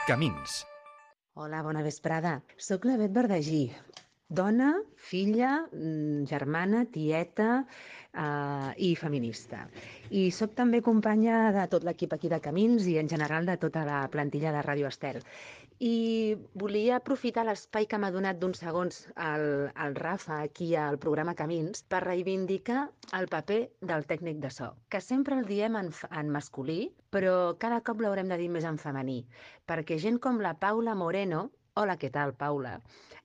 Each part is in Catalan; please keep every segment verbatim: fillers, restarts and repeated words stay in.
Camins. Hola, bona vesprada. Soc la Bet Verdagí, dona, filla, germana, tieta eh, i feminista. I sóc també companya de tot l'equip aquí de Camins i en general de tota la plantilla de Ràdio Estel. I volia aprofitar l'espai que m'ha donat d'uns segons el, el Rafa aquí al programa Camins per reivindicar el paper del tècnic de so, que sempre el diem en, en masculí, però cada cop l'haurem de dir més en femení, perquè gent com la Paula Moreno, hola, què tal, Paula,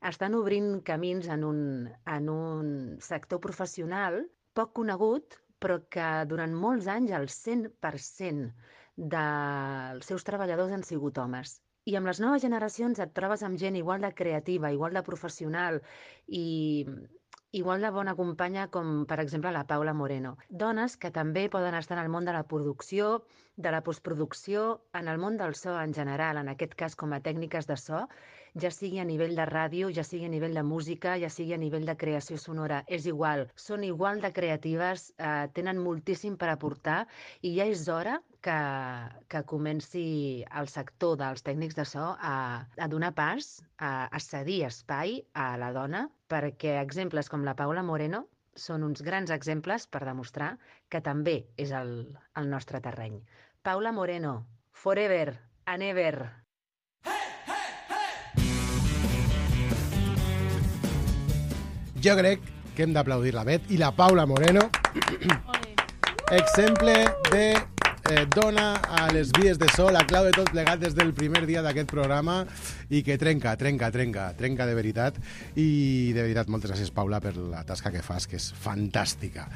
estan obrint camins en un, en un sector professional poc conegut, però que durant molts anys el cent per cent dels seus treballadors han sigut homes. I amb les noves generacions et trobes amb gent igual de creativa, igual de professional i igual de bona companya com, per exemple, la Paula Moreno. Dones que també poden estar en el món de la producció, de la postproducció, en el món del so en general, en aquest cas com a tècniques de so, ja sigui a nivell de ràdio, ja sigui a nivell de música, ja sigui a nivell de creació sonora, és igual. Són igual de creatives, eh, tenen moltíssim per aportar i ja és hora que, que comenci el sector dels tècnics de so a, a donar pas, a, a cedir espai a la dona, perquè exemples com la Paula Moreno són uns grans exemples per demostrar que també és el, el nostre terreny. Paula Moreno, forever and ever. Jo crec que hem d'aplaudir la Bet i la Paula Moreno. Exemple de eh, dona a les vies de so, la clau de tot plegat des del primer dia d'aquest programa i que trenca, trenca, trenca, trenca de veritat. I de veritat, moltes gràcies, Paula, per la tasca que fas, que és fantàstica.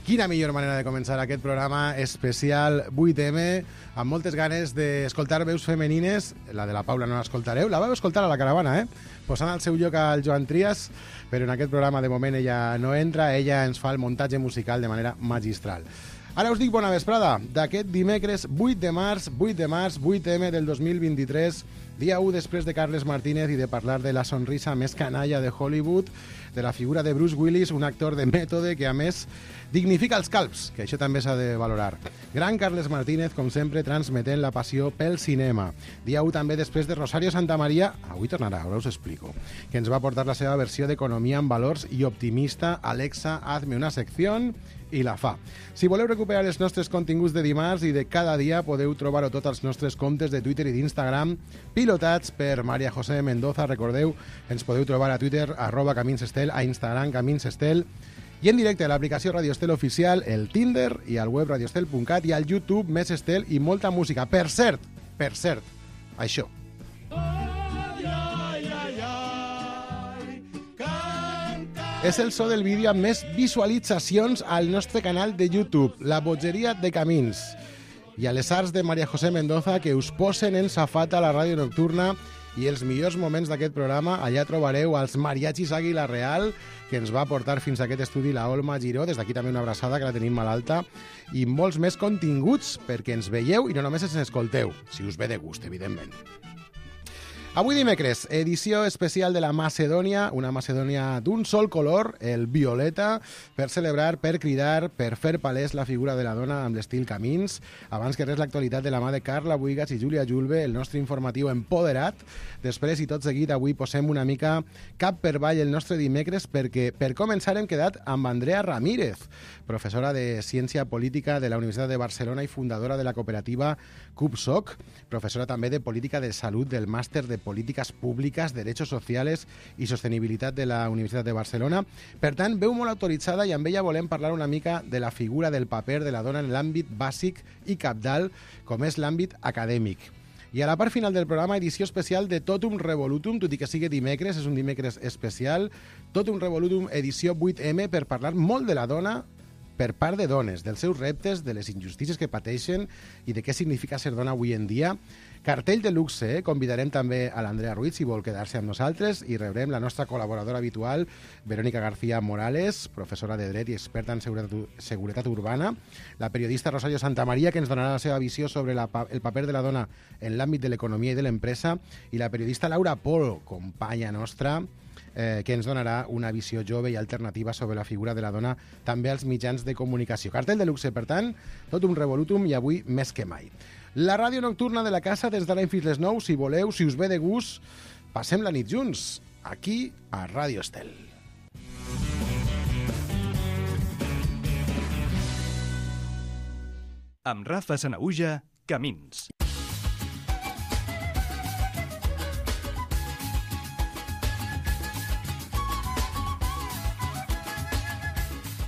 Quina millor manera de començar aquest programa especial vuit eme, amb moltes ganes d'escoltar veus femenines. La de la Paula no l'escoltareu, la vau escoltar a la caravana, eh? Posant al seu lloc al Joan Trias, però en aquest programa de moment ella no entra, ella ens fa el muntatge musical de manera magistral. Ara us dic bona vesprada d'aquest dimecres vuit de març, vuit de març, vuit eme del dos mil vint-i-tres, dia u després de Carles Martínez i de parlar de la sonrisa més canalla de Hollywood, de la figura de Bruce Willis, un actor de mètode que a més dignifica els calbs, que això també s'ha de valorar. Gran Carles Martínez, com sempre, transmetent la passió pel cinema. Dia u també després de Rosario Santamaría, avui tornarà, ara us explico, que ens va portar la seva versió d'Economia amb valors i optimista. Alexa, hazme una sección, i la fa. Si voleu recuperar els nostres continguts de dimarts i de cada dia, podeu trobar-ho tots als nostres comptes de Twitter i d'Instagram, pilotats per María José Mendoza. Recordeu, ens podeu trobar a Twitter, arroba Camins Estel, a Instagram, Camins Estel, i en directe a l'aplicació Radio Estel Oficial, el Tinder i al web radioestel punt cat i al YouTube Més Estel i molta música. Per cert, per cert, això. És el so del vídeo amb més visualitzacions al nostre canal de YouTube, La Bogeria de Camins. I a les arts de María José Mendoza, que us posen en safata a la ràdio nocturna, i els millors moments d'aquest programa, allà trobareu els mariachis Àguila Real, que ens va portar fins a aquest estudi la Olma Giró. Des d'aquí també una abraçada, que la tenim malalta, i molts més continguts perquè ens veieu i no només ens escolteu, si us ve de gust, evidentment. Avui dimecres, edició especial de la Macedònia, una Macedònia d'un sol color, el violeta, per celebrar, per cridar, per fer palès la figura de la dona amb l'estil Camins. Abans que res, l'actualitat de la mà de Carla Buigas i Júlia Julve, el nostre informatiu empoderat. Després i tot seguit, avui posem una mica cap per avall el nostre dimecres, perquè per començar hem quedat amb Andrea Ramírez, professora de Ciència Política de la Universitat de Barcelona i fundadora de la cooperativa CUPSOC, professora també de Política de Salut del Màster de Políticas Públiques, Derechos Sociales i Sostenibilitat de la Universitat de Barcelona. Per tant, veu molt autoritzada i amb ella volem parlar una mica de la figura del paper de la dona en l'àmbit bàsic i cabdal, com és l'àmbit acadèmic. I a la part final del programa, edició especial de Totum Revolutum, tot i que sigui dimecres, és un dimecres especial, Totum Revolutum edició vuit eme, per parlar molt de la dona per part de dones, dels seus reptes, de les injustícies que pateixen i de què significa ser dona avui en dia. Cartell de luxe, eh? Convidarem també a l'Andrea Ruiz, si vol quedar-se amb nosaltres, i rebrem la nostra col·laboradora habitual, Verónica García Morales, professora de Dret i experta en seguretat, seguretat urbana, la periodista Rosario Santamaría, que ens donarà la seva visió sobre la, el paper de la dona en l'àmbit de l'economia i de l'empresa, i la periodista Laura Polo, companya nostra, Eh, que ens donarà una visió jove i alternativa sobre la figura de la dona també als mitjans de comunicació. Cartell de luxe, per tant, tot un revolutum i avui més que mai. La ràdio nocturna de la casa des de l'any fins les nou. Si voleu, si us ve de gust, passem la nit junts, aquí a Ràdio Estel. Amb Rafa Sanahuja, Camins.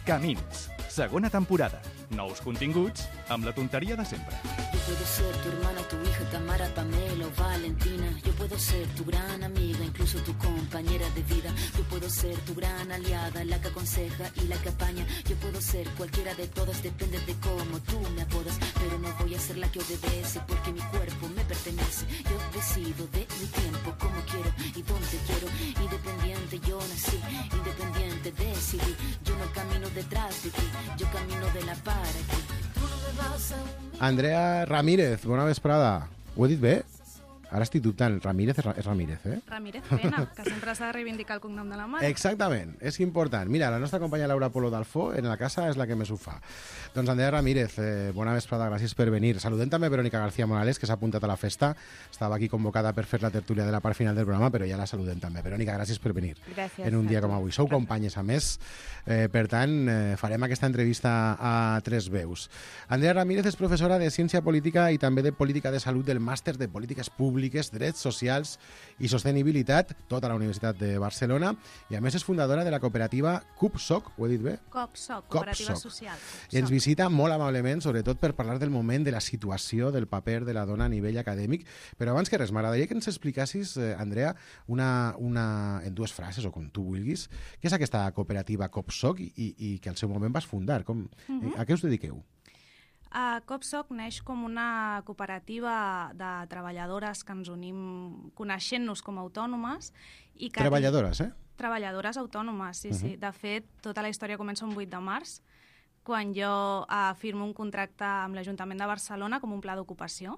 Camins, segona temporada. Nous continguts amb la tonteria de sempre. Yo puedo ser tu hermana, tu hija, Tamara, Pamela o Valentina. Yo puedo ser tu gran amiga, incluso tu compañera de vida. Yo puedo ser tu gran aliada, la que aconseja y la que apaña. Yo puedo ser cualquiera de todas, depende de cómo tú me apodas. Pero no voy a ser la que obedece, porque mi cuerpo me pertenece. Yo decido de mi tiempo, como quiero y dónde quiero. Independiente yo nací, independiente decidí. Yo no camino detrás de ti, yo camino de la para aquí. Tú no me vas a... Andrea Ramírez, bona vesprada. Ho he dit bé? Ara estic dubtant. Ramírez és Ramírez, eh? Ramírez Pena, que sempre s'ha de reivindicar el cognom de la mare. Exactament, és important. Mira, la nostra companya Laura Polo d'Alfó en la casa és la que més ho fa. Doncs Andrea Ramírez, eh, bona vesprada, gràcies per venir. Saludem també a Verónica García Morales, que s'ha apuntat a la festa. Estava aquí convocada per fer la tertúlia de la part final del programa, però ja la saludem també. Verónica, gràcies per venir. Gràcies. En un dia com avui. Sou companyes, a més. Eh, per tant, eh, farem aquesta entrevista a tres veus. Andrea Ramírez és professora de Ciència Política i també de Política de Salut del Màster de Polítiques Públiques, Drets Socials i Sostenibilitat, tota la Universitat de Barcelona, i a més és fundadora de la cooperativa CUPSOC, ho he dit bé? COPSOC, Cooperativa Social. I ens visita molt amablement, sobretot per parlar del moment, de la situació, del paper de la dona a nivell acadèmic. Però abans que res, m'agradaria que ens explicassis, eh, Andrea, una, una, en dues frases, o com tu vulguis, què és aquesta cooperativa COPSOC i, i, i que al seu moment vas fundar. Com, uh-huh. A què us dediqueu? Uh, COPSOC neix com una cooperativa de treballadores que ens unim coneixent-nos com a autònomes. I que Treballadores, eh? Treballadores autònomes, sí, uh-huh. sí. De fet, tota la història comença un vuit de març, quan jo uh, firmo un contracte amb l'Ajuntament de Barcelona com un pla d'ocupació.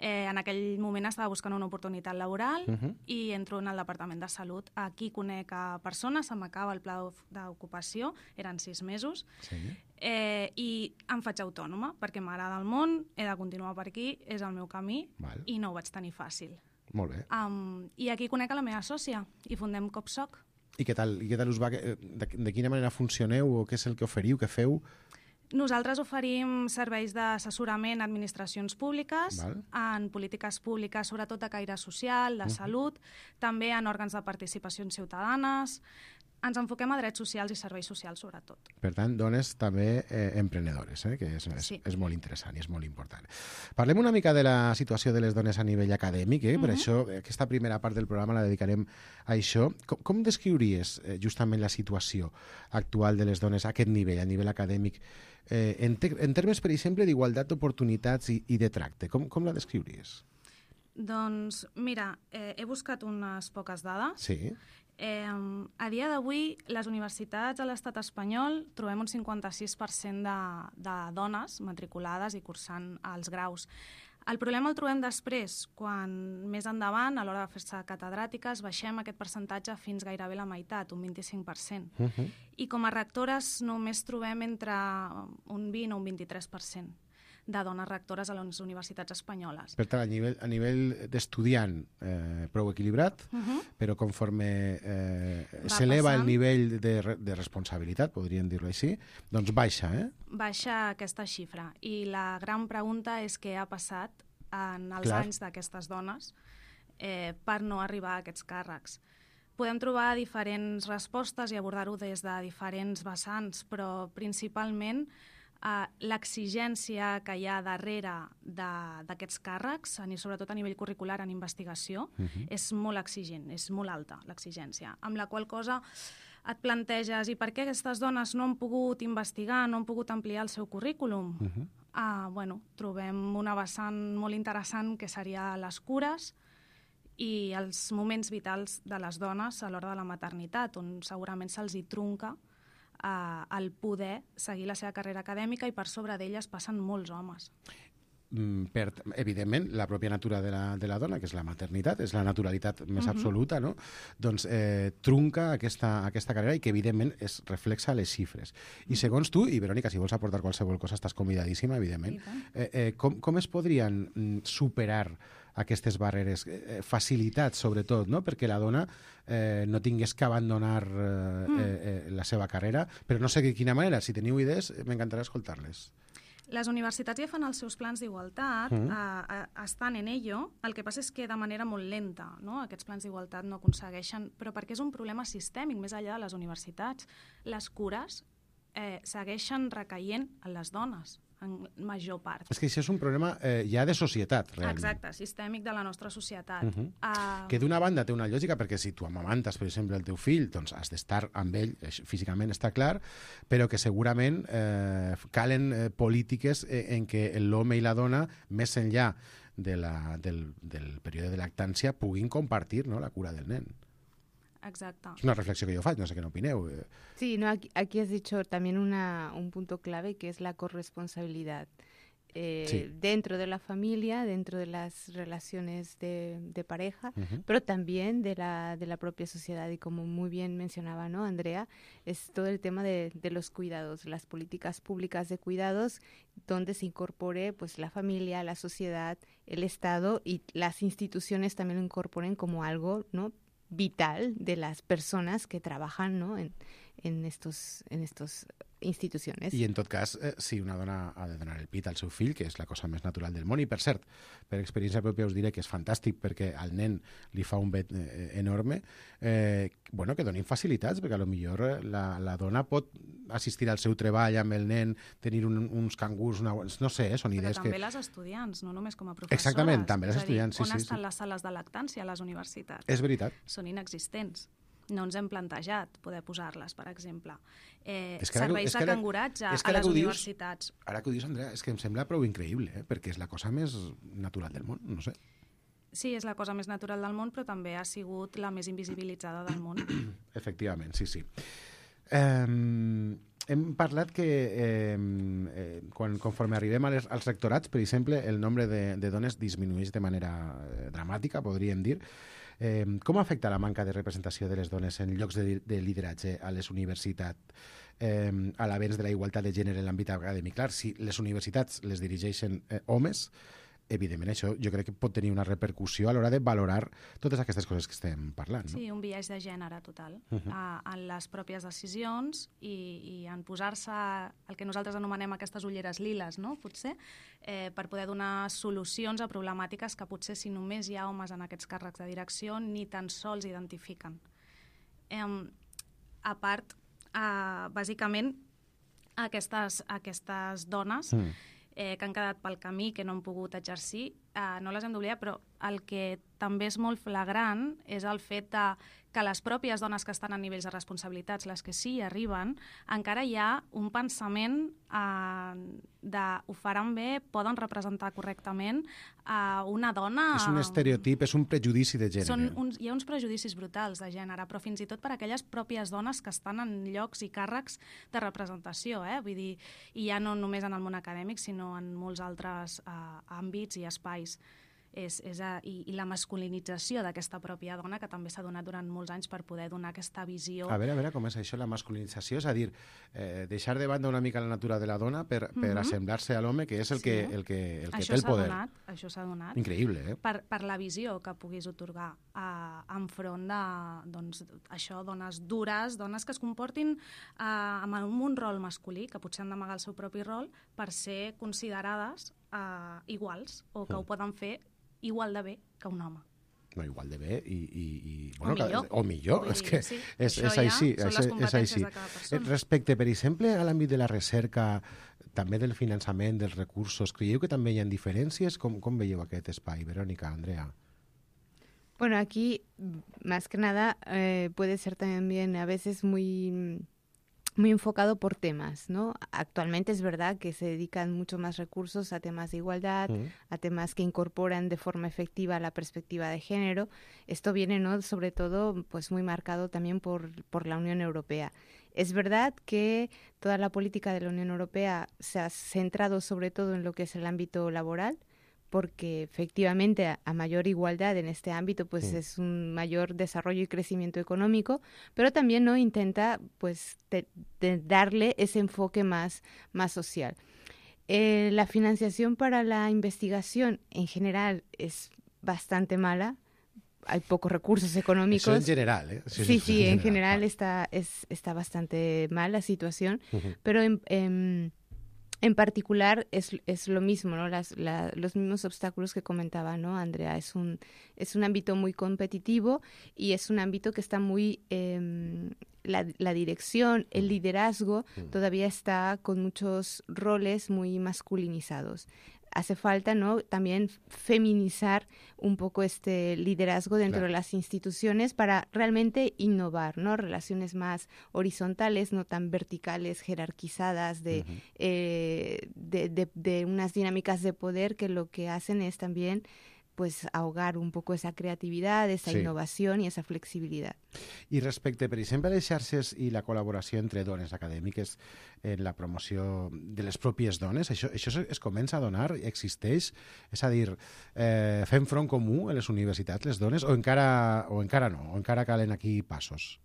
Eh, en aquell moment estava buscant una oportunitat laboral uh-huh. i entro en el Departament de Salut. Aquí conec a persones, se m'acaba el pla d'ocupació, eren sis mesos, sí. eh, i em faig autònoma, perquè m'agrada el món, he de continuar per aquí, és el meu camí, Val. I no ho vaig tenir fàcil. Molt bé. Um, I aquí conec a la meva sòcia, i fundem COPSOC. I què tal, i què tal us va? De, de quina manera funcioneu, o què és el que oferiu, què feu? Nosaltres oferim serveis d'assessorament a administracions públiques, Val. En polítiques públiques, sobretot de caire social, de uh-huh. salut, també en òrgans de participació ciutadanes. Ens enfoquem a drets socials i serveis socials, sobretot. Per tant, dones també eh, emprenedores, eh, que és, és, sí. és molt interessant i és molt important. Parlem una mica de la situació de les dones a nivell acadèmic, eh? Uh-huh. Per això aquesta primera part del programa la dedicarem a això. Com, com descriuries eh, justament la situació actual de les dones a aquest nivell, a nivell acadèmic, eh, en, te, en termes, per exemple, d'igualtat d'oportunitats i, i de tracte? Com, com la descriuries? Doncs, mira, eh, he buscat unes poques dades. Sí. Eh, a dia d'avui, les universitats a l'estat espanyol trobem un cinquanta-sis per cent de, de dones matriculades i cursant els graus. El problema el trobem després, quan més endavant, a l'hora de fer-se catedràtiques, baixem aquest percentatge fins gairebé la meitat, un vint-i-cinc per cent. Uh-huh. I com a rectores només trobem entre un vint o un vint-i-tres per cent de dones rectores a les universitats espanyoles. Per tant, a nivell, a nivell d'estudiant eh, prou equilibrat, uh-huh. però conforme eh, s'eleva el nivell de, de responsabilitat, podríem dir-ho així, doncs baixa, eh? Baixa aquesta xifra. I la gran pregunta és què ha passat en els Clar. anys d'aquestes dones eh, per no arribar a aquests càrrecs. Podem trobar diferents respostes i abordar-ho des de diferents vessants, però principalment Uh, l'exigència que hi ha darrere d'aquests càrrecs, sobretot a nivell curricular en investigació, uh-huh. és molt exigent, és molt alta l'exigència, amb la qual cosa et planteges i per què aquestes dones no han pogut investigar, no han pogut ampliar el seu currículum? Uh-huh. uh, bueno, trobem una vessant molt interessant que seria les cures i els moments vitals de les dones a l'hora de la maternitat, on segurament se'ls hi trunca el poder seguir la seva carrera acadèmica i per sobre d'elles passen molts homes. per, evidentment, la pròpia natura de la, de la dona, que és la maternitat, és la naturalitat més uh-huh. absoluta, no? Doncs eh, trunca aquesta, aquesta carrera i que, evidentment, es reflexa a les xifres. I segons tu, i Verònica, si vols aportar qualsevol cosa, estàs convidadíssima, evidentment, eh, eh, com, com es podrien superar aquestes barreres, eh, facilitats sobretot, no? Perquè la dona eh, no tingués que abandonar eh, mm. eh, la seva carrera, però no sé de quina manera. Si teniu idees, m'encantarà escoltar-les. Les universitats ja fan els seus plans d'igualtat, mm. eh, eh, estan en ello, el que passa és que de manera molt lenta, no? Aquests plans d'igualtat no aconsegueixen, però perquè és un problema sistèmic més enllà de les universitats. Les cures eh, segueixen recaient en les dones, en major part. És que això és un problema eh, ja de societat, realment. Exacte, sistèmic de la nostra societat. Uh-huh. uh... Que d'una banda té una lògica, perquè si tu amamantes, per exemple, el teu fill, doncs has d'estar amb ell, físicament està clar, però que segurament eh, calen eh, polítiques en què l'home i la dona, més enllà de la, del, del període de lactància, puguin compartir, no?, la cura del nen. Exacto. Es una reflexión que yo faig, no sé qué opineu. Sí, no, aquí, aquí has dicho también una, un punto clave que es la corresponsabilidad. Eh, sí. Dentro de la familia, dentro de las relaciones de, de pareja, uh-huh. pero también de la, de la propia sociedad. Y como muy bien mencionaba, ¿no, Andrea? Es todo el tema de, de los cuidados, las políticas públicas de cuidados, donde se incorpore pues la familia, la sociedad, el Estado y las instituciones también lo incorporen como algo, ¿no?, vital de las personas que trabajan, ¿no?, en, en estos en estos institucions. I en tot cas, eh, si una dona ha de donar el pit al seu fill, que és la cosa més natural del món, i per cert, per experiència pròpia us diré que és fantàstic perquè al nen li fa un bet eh, enorme, eh, bueno, que donin facilitats, perquè a lo millor la, la dona pot assistir al seu treball amb el nen, tenir un, uns cangurs, una, no sé, eh, són idees que... Però també les estudiants, no només com a professores. Exactament, també les estudiants, sí, sí. On sí, estan sí. les sales de lactància a les universitats? És veritat. Són inexistents. No ens hem plantejat poder posar-les, per exemple. Eh, és que serveis ara, de canguratge és que a les dius, universitats. Ara que ho dius, Andrea, és que em sembla prou increïble, eh? Perquè és la cosa més natural del món, no sé. Sí, és la cosa més natural del món, però també ha sigut la més invisibilitzada del món. Efectivament, sí, sí. Eh, hem parlat que eh, eh, quan, conforme arribem als, als rectorats, per exemple, el nombre de, de dones disminueix de manera eh, dramàtica, podríem dir. Eh, com afecta la manca de representació de les dones en llocs de, de lideratge a les universitats eh, a l'avenç de la igualtat de gènere en l'àmbit acadèmic? Clar, si les universitats les dirigeixen eh, homes, evidentment això jo crec que pot tenir una repercussió a l'hora de valorar totes aquestes coses que estem parlant. No? Sí, un biaix de gènere total uh-huh. a, en les pròpies decisions i, i en posar-se el que nosaltres anomenem aquestes ulleres liles, no? Potser, eh, per poder donar solucions a problemàtiques que potser si només hi ha homes en aquests càrrecs de direcció ni tan sols identifiquen. Eh, a part, eh, bàsicament, aquestes, aquestes dones mm. eh, que han quedat pel camí, que no han pogut exercir, eh, no les hem d'oblidar, però el que també és molt flagrant és el fet de que les pròpies dones que estan a nivells de responsabilitats, les que sí hi arriben, encara hi ha un pensament eh, de ho faran bé, poden representar correctament a eh, una dona... És un estereotip, és un prejudici de gènere. Són uns, hi ha uns prejudicis brutals de gènere, però fins i tot per aquelles pròpies dones que estan en llocs i càrrecs de representació, eh? Vull dir, i ja no només en el món acadèmic, sinó en molts altres eh, àmbits i espais. És, és a, i, i la masculinització d'aquesta pròpia dona, que també s'ha donat durant molts anys per poder donar aquesta visió. A veure, a veure, com és això, la masculinització? És a dir, eh, deixar de banda una mica la natura de la dona per, per mm-hmm. assemblar-se a l'home, que és el sí. que, el que, el que té el poder. Donat, això s'ha donat. Increïble, eh? Per, per la visió que puguis otorgar eh, enfront de, doncs, això, dones dures, dones que es comportin eh, amb un rol masculí, que potser han d'amagar el seu propi rol, per ser considerades eh, iguals, o que mm. ho poden fer igual de bé que un home. No, igual de bé i... i, i bueno, o millor. Que, o millor, és que sí. és, és ja així. són és, les competències és de cada persona. Respecte, per exemple, a l'àmbit de la recerca, també del finançament, dels recursos, creieu que també hi ha diferències? Com, com veieu aquest espai, Verónica, Andrea? Bueno, aquí, más que nada, eh, puede ser también a veces muy... muy enfocado por temas, ¿no? Actualmente es verdad que se dedican mucho más recursos a temas de igualdad, uh-huh. a temas que incorporan de forma efectiva la perspectiva de género. Esto viene, ¿no?, sobre todo, pues muy marcado también por, por la Unión Europea. Es verdad que toda la política de la Unión Europea se ha centrado sobre todo en lo que es el ámbito laboral, porque efectivamente a, a mayor igualdad en este ámbito pues sí. es un mayor desarrollo y crecimiento económico, pero también no intenta pues de, de darle ese enfoque más, más social. Eh, la financiación para la investigación en general es bastante mala. Hay pocos recursos económicos. Eso en general, ¿eh? Sí, sí, sí en general, general está, es, está bastante mal la situación, uh-huh. pero en, en, en particular es, es lo mismo, ¿no? Las, la, los mismos obstáculos que comentaba, ¿no, Andrea? Es un, es un ámbito muy competitivo y es un ámbito que está muy... Eh, la, la dirección, el liderazgo, uh-huh. todavía está con muchos roles muy masculinizados. Hace falta, ¿no?, también feminizar un poco este liderazgo dentro claro. de las instituciones para realmente innovar, ¿no? Relaciones más horizontales, no tan verticales, jerarquizadas, de, uh-huh. eh, de, de, de unas dinámicas de poder que lo que hacen es también pues ahogar un poco esa creativitat, esa sí. innovació i esa flexibilitat. I respecte, per exemple, a les xarxes i la col·laboració entre dones acadèmiques en la promoció de les pròpies dones, això, això es comença a donar, existeix? És a dir, eh, fem front comú a les universitats, les dones, o encara, o encara no, o encara calen aquí passos?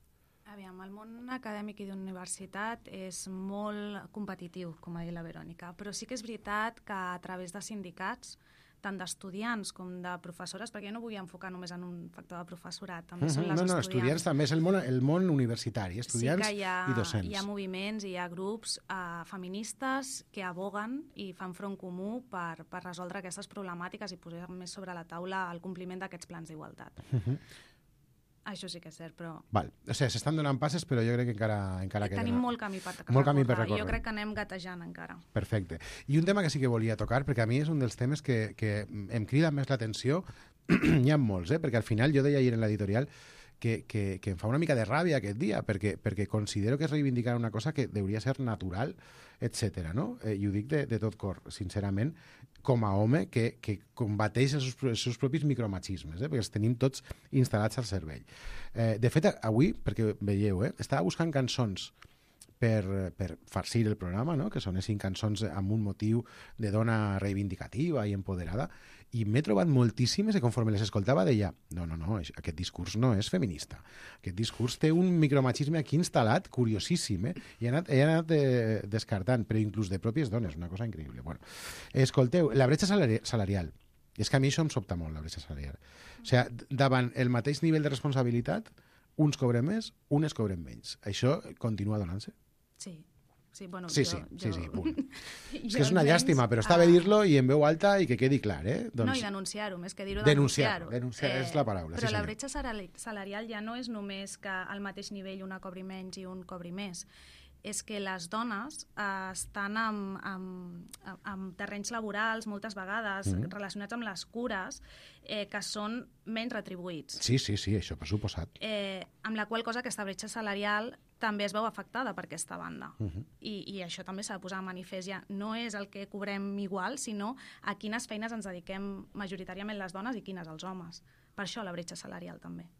Aviam, el món acadèmic i d'universitat és molt competitiu, com ha dit la Verònica, però sí que és veritat que a través de sindicats tant d'estudiants com de professores, perquè jo no vull enfocar només en un factor de professorat, també uh-huh. són les no, no, estudiants. estudiants també és el món, el món universitari, estudiants sí ha, i docents. Hi ha moviments, hi ha grups uh, feministes que aboguen i fan front comú per, per resoldre aquestes problemàtiques i posar més sobre la taula el compliment d'aquests plans d'igualtat. Uh-huh. Això sí que és cert, però... Val. O sigui, s'estan donant passes, però jo crec que encara, encara queda... Tenim molt camí per molt camí per recórrer. Jo crec que anem gatejant encara. Perfecte. I un tema que sí que volia tocar, perquè a mi és un dels temes que, que em crida més l'atenció, n'hi ha molts, eh? Perquè al final jo deia ahir en l'editorial que, que, que em fa una mica de ràbia aquest dia, perquè, perquè considero que és reivindicar una cosa que hauria ser natural, etcètera, no? Eh, I ho dic de, de tot cor, sincerament, com a home que, que combateix els seus, els seus propis micromachismes, eh? Perquè els tenim tots instal·lats al cervell. Eh, de fet, avui, perquè veieu, eh? estava buscant cançons per, per farcir el programa, no? Que sonessin cançons amb un motiu de dona reivindicativa i empoderada, i m'he trobat moltíssimes i conforme les escoltava deia, no, no, no, aquest discurs no és feminista. Aquest discurs té un micromachisme aquí instal·lat, curiosíssim, eh? I he anat, he anat eh, descartant, però inclús de pròpies dones, una cosa increïble. Bueno, escolteu, la bretxa salari salarial, és que a mi això em sobta molt, la bretxa salarial. O sigui, davant el mateix nivell de responsabilitat, uns cobren més, unes cobren menys. Això continua donant-se? Sí. Sí, bueno, sí, jo, sí, jo... sí, sí, punt. És que és una llàstima, però està bé dir-lo i en veu alta i que quedi clar, eh? Doncs... No, i denunciar-ho, més que dir-ho, denunciar-ho. Denunciar, denunciar eh, és la paraula, però sí, la bretxa salarial ja no és només que al mateix nivell una cobri menys i un cobri més. És que les dones eh, estan amb, amb, amb terrenys laborals moltes vegades mm. relacionats amb les cures eh, que són menys retribuïts. Sí, sí, sí, això per suposat. Eh, amb la qual cosa aquesta bretxa salarial també es veu afectada per aquesta banda. Uh-huh. I, I això també s'ha de posar a manifest ja. No és el que cobrem igual, sinó a quines feines ens dediquem majoritàriament les dones i quines els homes. Per això la bretxa salarial també.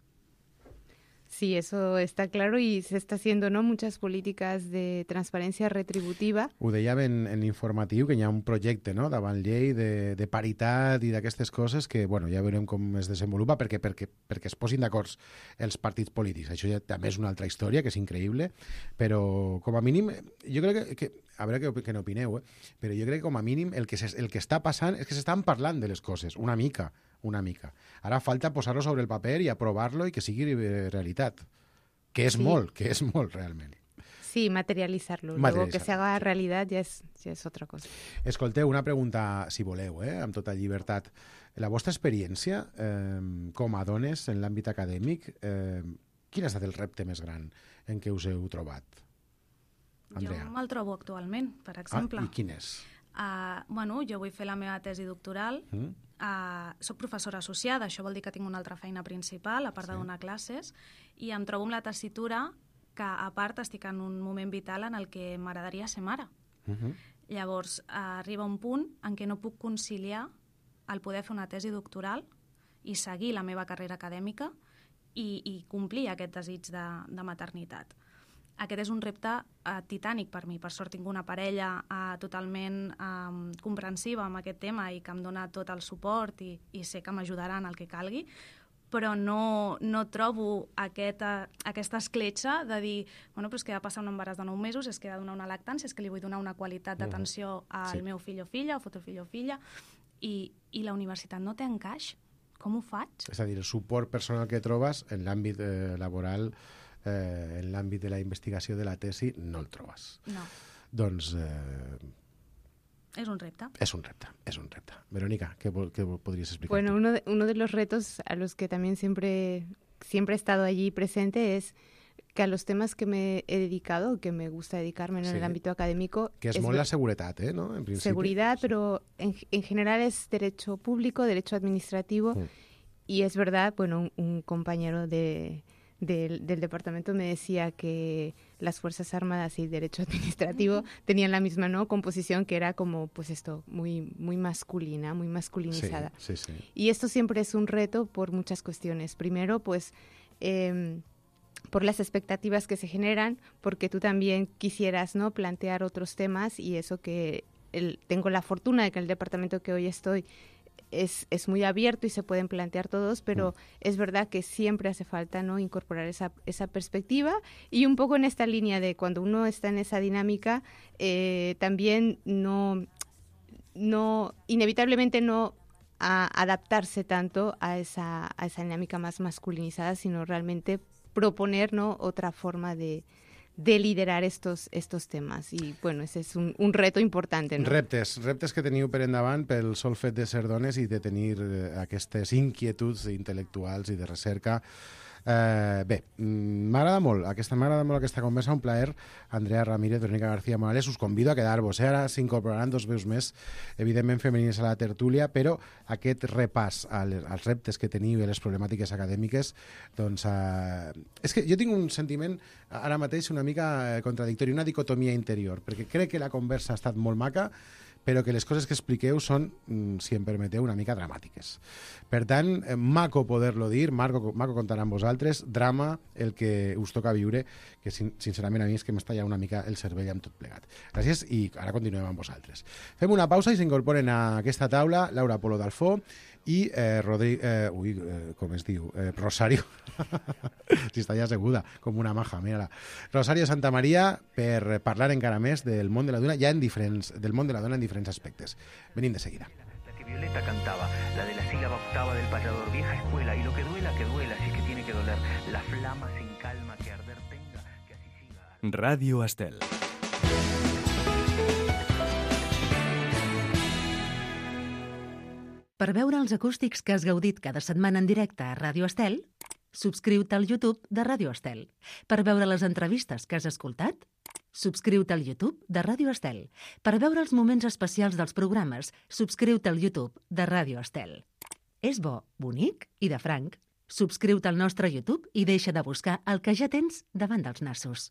Sí, eso está claro y se está haciendo, ¿no?, muchas políticas de transparencia retributiva. Ho dèiem en, en l'informatiu, que hi ha un projecte, no?, davant llei de, de paritat i d'aquestes coses que, bueno, ja veurem com es desenvolupa perquè, perquè, perquè es posin d'acord els partits polítics. Això ja també és una altra història, que és increïble, però com a mínim, jo crec que, que a veure què, què n'opineu, eh? Però jo crec que com a mínim el que, se, el que està passant és que s'estan parlant de les coses, una mica, una mica. Ara falta posar-lo sobre el paper i aprovar-lo i que sigui realitat. Que és sí. molt, que és molt realment. Sí, materialitzar-lo. Luego que se haga realitat ja és, ja és otra cosa. Escolteu, una pregunta, si voleu, eh, amb tota llibertat. La vostra experiència eh, com a dones en l'àmbit acadèmic, eh, quin ha estat el repte més gran en què us heu trobat? Andrea. Jo me'l trobo actualment, per exemple. Ah, i quin és? Uh, bueno, jo vull fer la meva tesi doctoral. Mm. Uh, soc professora associada, això vol dir que tinc una altra feina principal, a part sí. de donar classes, i em trobo amb la tessitura que, a part, estic en un moment vital en el que m'agradaria ser mare. Uh-huh. Llavors, uh, arriba un punt en què no puc conciliar el poder fer una tesi doctoral i seguir la meva carrera acadèmica i, i complir aquest desig de, de maternitat. aquest és un repte uh, titànic per mi. Per sort tinc una parella uh, totalment um, comprensiva amb aquest tema i que em dona tot el suport i, i sé que m'ajudaran el que calgui, però no, no trobo aquesta, aquesta escletxa de dir, bueno, però és que ha de passar un embaràs de nou mesos, és que he de donar una lactància, és que li vull donar una qualitat d'atenció al sí. meu fill o filla, o futur fill o filla, i, i la universitat no té encaix. Com ho faig? És a dir, el suport personal que trobes en l'àmbit eh, laboral, eh, en l'àmbit de la investigació de la tesi, no el trobes. No. Doncs... Eh, Es un repto. Es un repto, es un repto. Verónica, ¿qué, qué podrías explicar? Bueno, uno de, uno de los retos a los que también siempre, siempre he estado allí presente es que a los temas que me he dedicado, que me gusta dedicarme sí. en el ámbito académico... Que es, es molt la seguretat, ¿eh? ¿No? En principio. Seguridad, pero en, en general es derecho público, derecho administrativo, mm. y es verdad, bueno, un, un compañero de... Del, del departamento me decía que las Fuerzas Armadas y Derecho Administrativo tenían la misma no composición, que era como pues esto muy muy masculina, muy masculinizada. Sí, sí, sí. Y esto siempre es un reto por muchas cuestiones. Primero, pues eh, por las expectativas que se generan, porque tú también quisieras no plantear otros temas, y eso que el, tengo la fortuna de que el departamento que hoy estoy Es, es muy abierto y se pueden plantear todos, pero mm. es verdad que siempre hace falta no incorporar esa, esa perspectiva, y un poco en esta línea de cuando uno está en esa dinámica, eh, también no, no inevitablemente no a adaptarse tanto a esa, a esa dinámica más masculinizada, sino realmente proponer no otra forma de de liderar estos, estos temes. I, bueno, ese és un, un reto important, no? Reptes, reptes que teniu per endavant pel sol fet de ser dones i de tenir eh, aquestes inquietuds intel·lectuals i de recerca. Eh, bé, m'agrada molt, aquesta, m'agrada molt aquesta conversa, un plaer. Andrea Ramírez, Verónica García Morales, us convido a quedar-vos. Eh? Ara s'incorporaran dos veus més, evidentment femenines a la tertúlia, però aquest repàs als, als reptes que teniu i a les problemàtiques acadèmiques, doncs... Eh, és que jo tinc un sentiment ara mateix una mica contradictori, una dicotomia interior, perquè crec que la conversa ha estat molt maca, però que les coses que expliqueu són, si em permeteu, una mica dramàtiques. Per tant, maco poder-lo dir, maco, maco comptar amb vosaltres, drama el que us toca viure, que sincerament a mi és que m'està ja una mica el cervell amb tot plegat. Gràcies i ara continuem amb vosaltres. Fem una pausa i s'incorporen a aquesta taula Laura Polo d'Alfó i eh, Rodri... Eh, ui, eh, com es diu? Eh, Rosario. Si està ja asseguda, com una maja, mira-la. Rosario Santamaría, per parlar encara més del món de la dona, ja en diferents, del món de la dona en diferents aspectes. Venim de seguida. La que Violeta cantaba, la de la sílaba octava del payador, vieja escuela, y lo que duela, que duela, si es que tiene que doler, la flama sin calma que arder tenga, que así siga. Radio Estel. Per veure els acústics que has gaudit cada setmana en directe a Ràdio Estel, subscriu-te al YouTube de Ràdio Estel. Per veure les entrevistes que has escoltat, subscriu-te al YouTube de Ràdio Estel. Per veure els moments especials dels programes, subscriu-te al YouTube de Ràdio Estel. És bo, bonic i de franc. Subscriu-te al nostre YouTube i deixa de buscar el que ja tens davant dels nassos.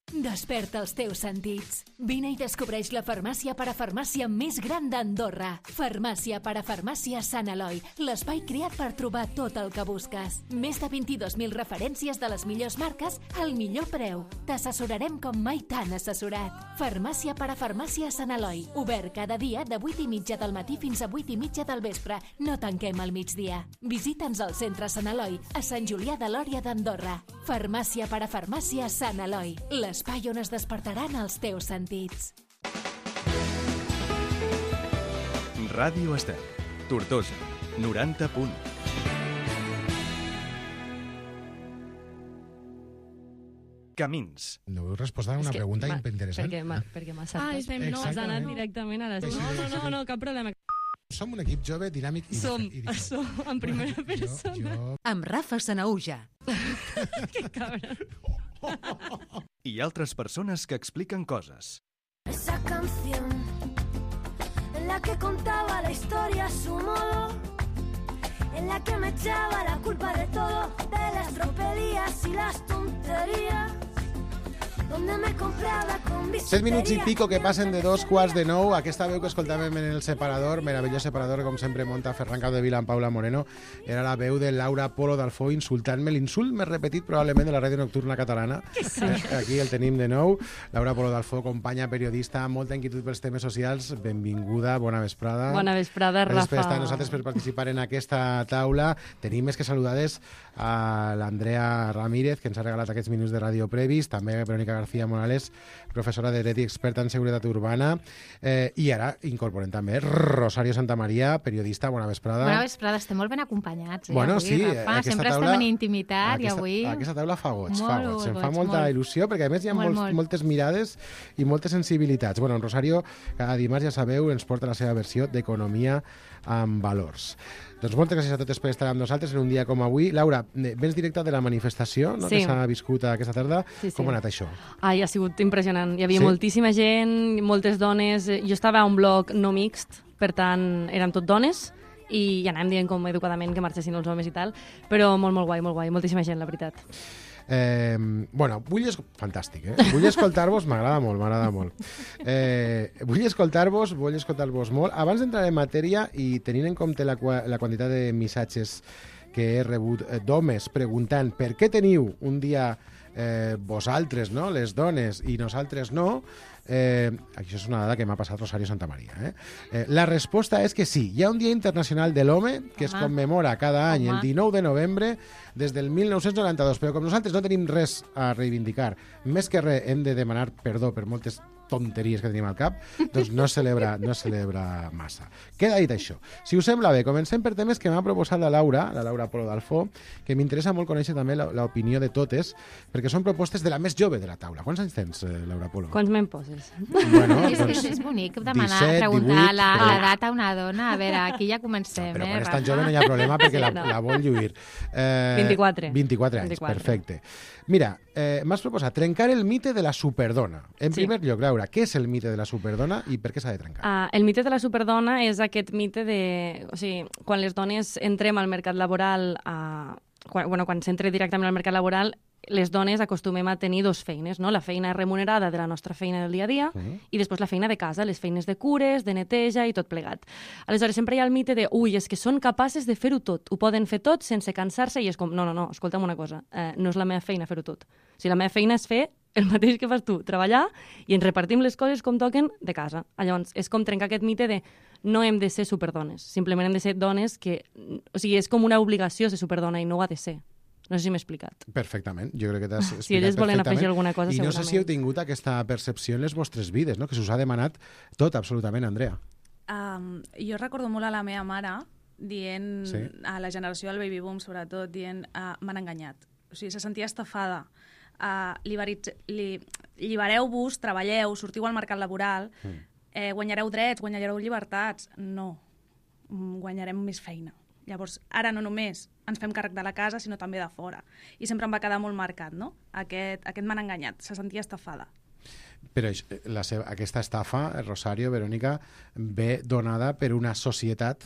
Desperta els teus sentits. Vine i descobreix la farmàcia parafarmàcia més gran d'Andorra. Farmàcia parafarmàcia Sant Eloi, l'espai creat per trobar tot el que busques. Més de vint-i-dos mil referències de les millors marques al millor preu. T'assessorarem com mai t'han assessorat. Farmàcia parafarmàcia Sant Eloi, obert cada dia de vuit i mitja del matí fins a vuit i mitja del vespre. No tanquem al migdia. Visita'ns al centre Sant Eloi, a Sant Julià de Lòria d'Andorra. Farmàcia parafarmàcia Sant Eloi, les l'espai on es despertaran els teus sentits. Ràdio Estel, Tortosa, noranta punt. Camins. No heu respost a una pregunta interessant. Perquè m'ha saltat. Ah, estem, no, has anat directament a les... No, no, no, no, cap problema. Som un equip jove, dinàmic i... Som, som, en primera persona. Jo, jo... Amb Rafa Sanauja. Que cabra. Y altres persones que expliquen coses. Esa canción en la que contaba la historia a su modo, en la que me echaba la culpa de todo, de las tropelías y las tonterías, donde me compraba con Set minuts i pico que passen de dos quarts de nou. Aquesta veu que escoltàvem en el separador, meravellós separador, com sempre munta Ferran Capdevila amb Paula Moreno, era la veu de Laura Polo d'Alfó insultant-me, l'insult més repetit probablement de la ràdio nocturna catalana. Sí. Eh, aquí el tenim de nou. Laura Polo d'Alfó, companya, periodista, molta inquietud pels temes socials. Benvinguda, bona vesprada. Bona vesprada, Rafa. Gràcies per estar nosaltres per participar en aquesta taula. Tenim més que saludades a l'Andrea Ramírez, que ens ha regalat aquests minuts de ràdio previs, també Verónica García Morales, professora de dret i experta en seguretat urbana, eh, i ara incorporem també Rosario Santamaría, periodista. Bona vesprada. Bona vesprada, estem molt ben acompanyats. Eh, bueno, avui, sí, Rafa. Sempre taula, estem en intimitat aquesta, i avui... Aquesta taula fa goig, molt fa goig. Em goig, fa molta molt. il·lusió, perquè a més hi ha molt, molts, molt. moltes mirades i moltes sensibilitats. Bueno, en Rosario, cada dimarts, ja sabeu, ens porta la seva versió d'Economia amb valors. Doncs moltes gràcies a totes per estar amb nosaltres en un dia com avui. Laura, vens directa de la manifestació, no? Sí. Que s'ha viscut aquesta tarda. Sí, sí. Com ha anat això? Ai, ha sigut impressionant. Hi havia Sí? moltíssima gent, moltes dones. Jo estava a un bloc no mixt, per tant, érem tot dones, i ja anàvem dient com educadament que marxessin els homes i tal, però molt, molt guai, molt guai. Moltíssima gent, la veritat. Eh, bueno, vull... Es... Fantàstic, eh? Vull escoltar-vos, m'agrada molt, m'agrada molt. Eh, vull escoltar-vos, vull escoltar-vos molt. Abans d'entrar en matèria i tenint en compte la, la quantitat de missatges que he rebut d'homes preguntant per què teniu un dia eh, vosaltres, no?, les dones, i nosaltres no, eh, això és una dada que m'ha passat Rosario Santamaría. Eh? Eh, la resposta és que sí, hi ha un Dia Internacional de l'Home que es commemora cada any el dinou de novembre des del mil nou-cents noranta-dos, però com nosaltres no tenim res a reivindicar, més que res hem de demanar perdó per moltes tonteries que tenim al cap, doncs no es celebra, no es celebra massa. Queda dit això. Si us sembla bé, comencem per temes que m'ha proposat la Laura, la Laura Polo d'Alfó, que m'interessa molt conèixer també l'opinió de totes, perquè són propostes de la més jove de la taula. Quants anys tens, Laura Polo? Quants me'n poses? Bueno, és, doncs, és, és bonic demanar, disset, preguntar divuit, la- però- l'edat a una dona. A veure, aquí ja comencem, No, però eh, quan és Rafa? tan jove no hi ha problema perquè la, Sí, no. la vol lluir. Eh, vint-i-quatre. vint-i-quatre anys, vint-i-quatre. perfecte. Mira, eh, m'has proposat trencar el mite de la superdona. En Sí. primer lloc, Laura, què és el mite de la superdona i per què s'ha de trencar? Uh, el mite de la superdona és aquest mite de... O sigui, quan les dones entrem al mercat laboral, uh, quan, bueno, quan s'entra directament al mercat laboral, les dones acostumem a tenir dos feines, no? La feina remunerada de la nostra feina del dia a dia Uh-huh. i després la feina de casa, les feines de cures, de neteja i tot plegat. Aleshores, sempre hi ha el mite de, ui, és que són capaces de fer-ho tot, ho poden fer tot sense cansar-se, i és com, no, no, no, escolta'm una cosa, eh, no és la meva feina fer-ho tot. O sigui, la meva feina és fer el mateix que fas tu, treballar, i ens repartim les coses com toquen de casa. Llavors, és com trencar aquest mite de no hem de ser superdones, simplement hem de ser dones que... O sigui, és com una obligació ser superdona i no ho ha de ser. No sé si m'he explicat. Perfectament, jo crec que t'has explicat Si elles volen perfectament. afegir alguna cosa, I no sé si heu segurament. tingut aquesta percepció en les vostres vides, no? Que se us ha demanat tot, absolutament, Andrea. Um, jo recordo molt a la meva mare dient, Sí. a la generació del baby boom sobretot, dient uh, m'han enganyat. O sigui, se sentia estafada. Uh, liberitz- li, Llibereu-vos, treballeu, sortiu al mercat laboral, Mm. eh, guanyareu drets, guanyareu llibertats. No, Mm, guanyarem més feina. Llavors, ara no només ens fem càrrec de la casa, sinó també de fora. I sempre em va quedar molt marcat, no? Aquest, aquest m'han enganyat, se sentia estafada. Però això- la seva, aquesta estafa, Rosario, Verònica, ve donada per una societat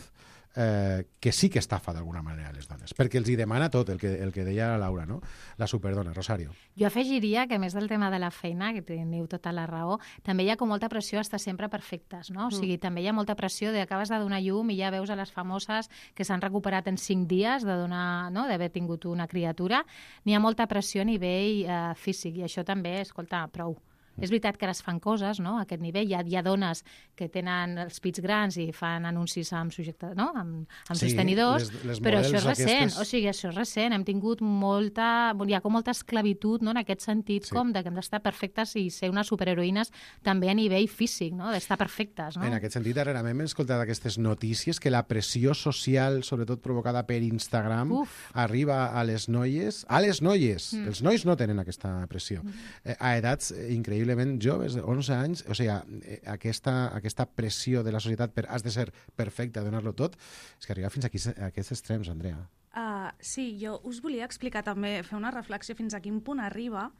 eh, que sí que estafa d'alguna manera a les dones, perquè els hi demana tot, el que, el que deia la Laura, no? La superdona, Rosario. Jo afegiria que, a més del tema de la feina, que teniu tota la raó, també hi ha com molta pressió a estar sempre perfectes, no? O sigui, també hi ha molta pressió de acabes de donar llum i ja veus a les famoses que s'han recuperat en cinc dies de donar, no?, d'haver tingut una criatura. N'hi ha molta pressió a nivell eh, físic, i això també, escolta, prou. És veritat que ara es fan coses, no?, a aquest nivell. Hi ha, hi ha dones que tenen els pits grans i fan anuncis amb, subjecte, no?, amb, amb Sí, sostenidors, les- les però això és models recent. aquestes- O sigui, això és recent. Hem tingut molta... Hi ha com molta esclavitud, no?, en aquest sentit, Sí. com de que hem d'estar perfectes i ser unes superheroïnes també a nivell físic, no?, d'estar perfectes, no? En aquest sentit, darrerament hem escoltat aquestes notícies que la pressió social, sobretot provocada per Instagram, Uf. arriba a les noies, a les noies. Mm. Els nois no tenen aquesta pressió. Eh, a edats eh, increïblement joves, de onze anys, o sigui, eh, aquesta, aquesta pressió de la societat per has de ser perfecte, donar-lo tot, és que arriba fins aquí, a aquests extrems, Andrea. Uh, sí, jo us volia explicar també, fer una reflexió fins a quin punt arriba.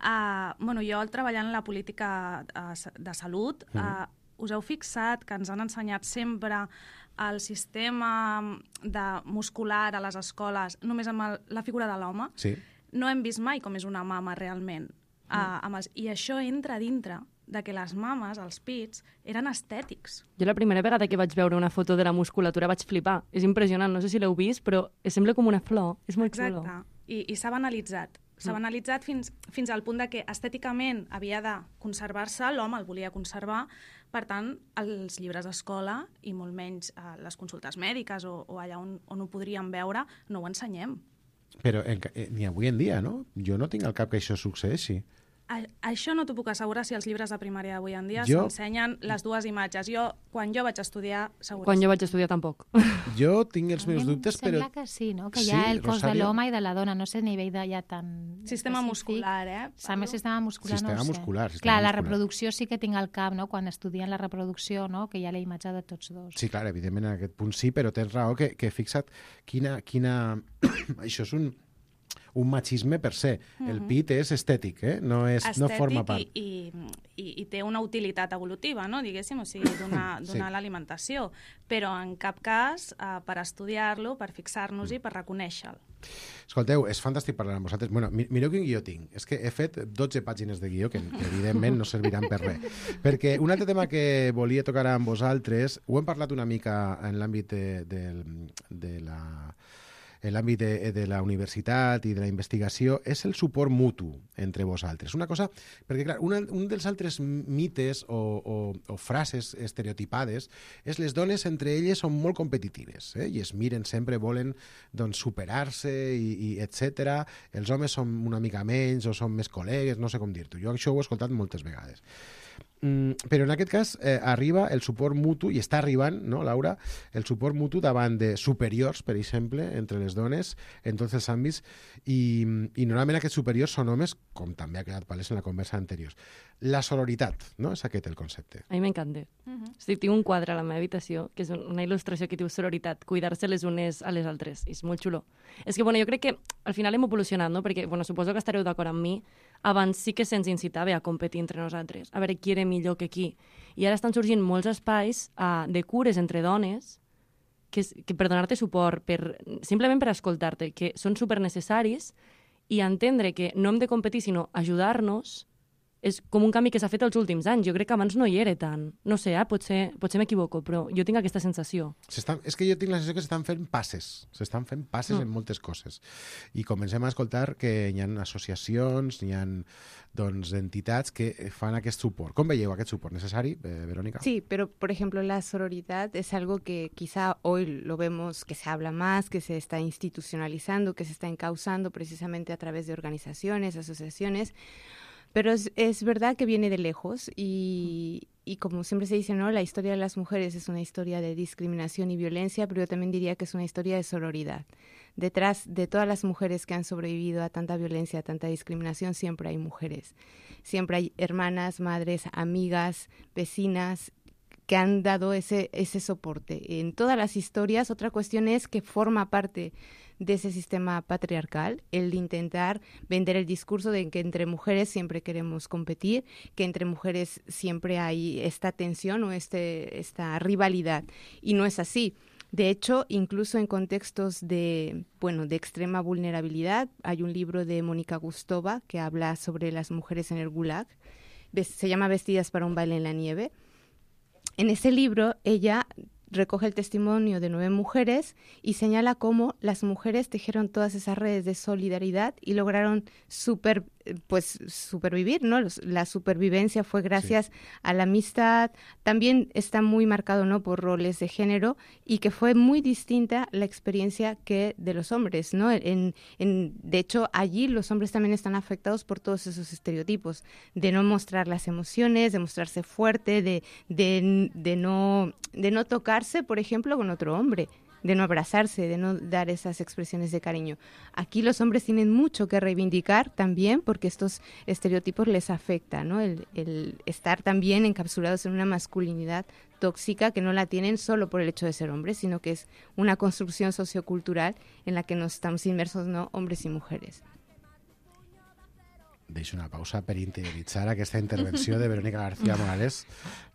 Uh, bueno, jo al treballar en la política uh, de salut, uh, us heu fixat que ens han ensenyat sempre el sistema de muscular a les escoles només amb el, la figura de l'home? Sí. No hem vist mai com és una mama realment. Uh, amb els... I això entra dintre de que les mames, els pits, eren estètics. Jo la primera vegada que vaig veure una foto de la musculatura vaig flipar. És impressionant, no sé si l'heu vist, però sembla com una flor, és molt xulo. Exacte, i, i s'ha banalitzat. S'ha banalitzat fins, fins al punt de que estèticament havia de conservar-se, l'home el volia conservar, per tant, els llibres d'escola i molt menys eh, les consultes mèdiques o, o allà on, on ho podríem veure, no ho ensenyem. Però en, eh, ni avui en dia, no? Jo no tinc al cap que això succeeixi. A, això no t'ho puc assegurar si els llibres de primària d'avui en dia jo... s'ensenyen les dues imatges. Jo, quan jo vaig estudiar, segur. Quan jo vaig estudiar, tampoc. Jo tinc els meus dubtes, però... Sembla que sí, no? Que hi ha sí, el cos Rosario... de l'home i de la dona, no sé a nivell de ja tan... Sistema específic. Muscular, eh? També sistema muscular, sistema no ho sé. Muscular, sistema clar, muscular. La reproducció sí que tinc al cap, no? Quan estudien la reproducció, no? Que hi ha la imatge de tots dos. Sí, clar, evidentment en aquest punt sí, però tens raó que, que fixa't quina... quina... Això és un... un machisme per se. Mm-hmm. El pit és estètic, eh? No, és, estètic no forma part. I, i, i té una utilitat evolutiva, no? Diguéssim, o sigui, donar, donar sí. l'alimentació, però en cap cas eh, per estudiar-lo, per fixar-nos-hi, per reconèixer-lo. Escolteu, és fantàstic parlar amb vosaltres. Bueno, mireu quin guió tinc. És que he fet dotze pàgines de guió que, que evidentment no serviran per res. Perquè un altre tema que volia tocar amb vosaltres, ho hem parlat una mica en l'àmbit de, de, de la... en l'àmbit de, de la universitat i de la investigació, és el suport mutu entre vosaltres. Una cosa, perquè clar, una, un dels altres mites o, o, o frases estereotipades és les dones entre elles són molt competitives, eh? I es miren sempre, volen doncs, superar-se i, i etcètera. Els homes són una mica menys o són més col·legues, no sé com dir-t'ho. Jo això ho he escoltat moltes vegades. Mm, però en aquest cas eh, arriba el suport mutu, i està arribant, no, Laura, el suport mutu davant de superiors, per exemple, entre les dones, en tots els àmbits, i, i normalment aquests superiors són homes, com també ha quedat palès en la conversa anterior. La sororitat, no? És aquest el concepte. A mi m'encanta. Uh-huh. O sigui, tinc un quadre a la meva habitació, que és una il·lustració que diu sororitat, cuidar-se les unes a les altres. És molt xulo. És que, bueno, jo crec que al final hem evolucionat, no? Perquè, bueno, suposo que estareu d'acord amb mi, abans sí que se'ns incitava a competir entre nosaltres, a veure qui era millor que qui. I ara estan sorgint molts espais uh, de cures entre dones que, que per donar-te suport, per, simplement per escoltar-te, que són supernecessaris, i entendre que no hem de competir, sinó ajudar-nos, és com un canvi que s'ha fet els últims anys. Jo crec que abans no hi era tant. No sé, eh? potser, potser m'equivoco, però jo tinc aquesta sensació. És que jo tinc la sensació que s'estan fent passes. S'estan fent passes mm. en moltes coses. I comencem a escoltar que hi ha associacions, hi ha doncs, entitats que fan aquest suport. Com veieu aquest suport? ¿Necessari, eh, Verónica? Sí, pero por ejemplo la sororidad es algo que quizá hoy lo vemos que se habla más, que se está institucionalizando, que se está encauzando precisamente a través de organizaciones, asociaciones. Pero es, es verdad que viene de lejos y, y como siempre se dice, ¿no? La historia de las mujeres es una historia de discriminación y violencia, pero yo también diría que es una historia de sororidad. Detrás de todas las mujeres que han sobrevivido a tanta violencia, a tanta discriminación, siempre hay mujeres. Siempre hay hermanas, madres, amigas, vecinas que han dado ese, ese soporte. En todas las historias, otra cuestión es que forma parte de ese sistema patriarcal, el de intentar vender el discurso de que entre mujeres siempre queremos competir, que entre mujeres siempre hay esta tensión o este, esta rivalidad, y no es así. De hecho, incluso en contextos de, bueno, de extrema vulnerabilidad, hay un libro de Mónica Gustova que habla sobre las mujeres en el Gulag, se llama Vestidas para un baile en la nieve. En ese libro, ella recoge el testimonio de nueve mujeres y señala cómo las mujeres tejieron todas esas redes de solidaridad y lograron super, pues, supervivir, ¿no? La supervivencia fue gracias sí. a la amistad. También está muy marcado, ¿no?, por roles de género, y que fue muy distinta la experiencia que de los hombres, ¿no? En, en, de hecho, allí los hombres también están afectados por todos esos estereotipos de no mostrar las emociones, de mostrarse fuerte, de, de, de, no, de no tocar, por ejemplo, con otro hombre, de no abrazarse, de no dar esas expresiones de cariño. Aquí los hombres tienen mucho que reivindicar también, porque estos estereotipos les afectan, ¿no? El, el estar también encapsulados en una masculinidad tóxica que no la tienen solo por el hecho de ser hombres, sino que es una construcción sociocultural en la que nos estamos inmersos, ¿no?, hombres y mujeres. deixo una pausa per interioritzar aquesta intervenció de Verónica García Morales,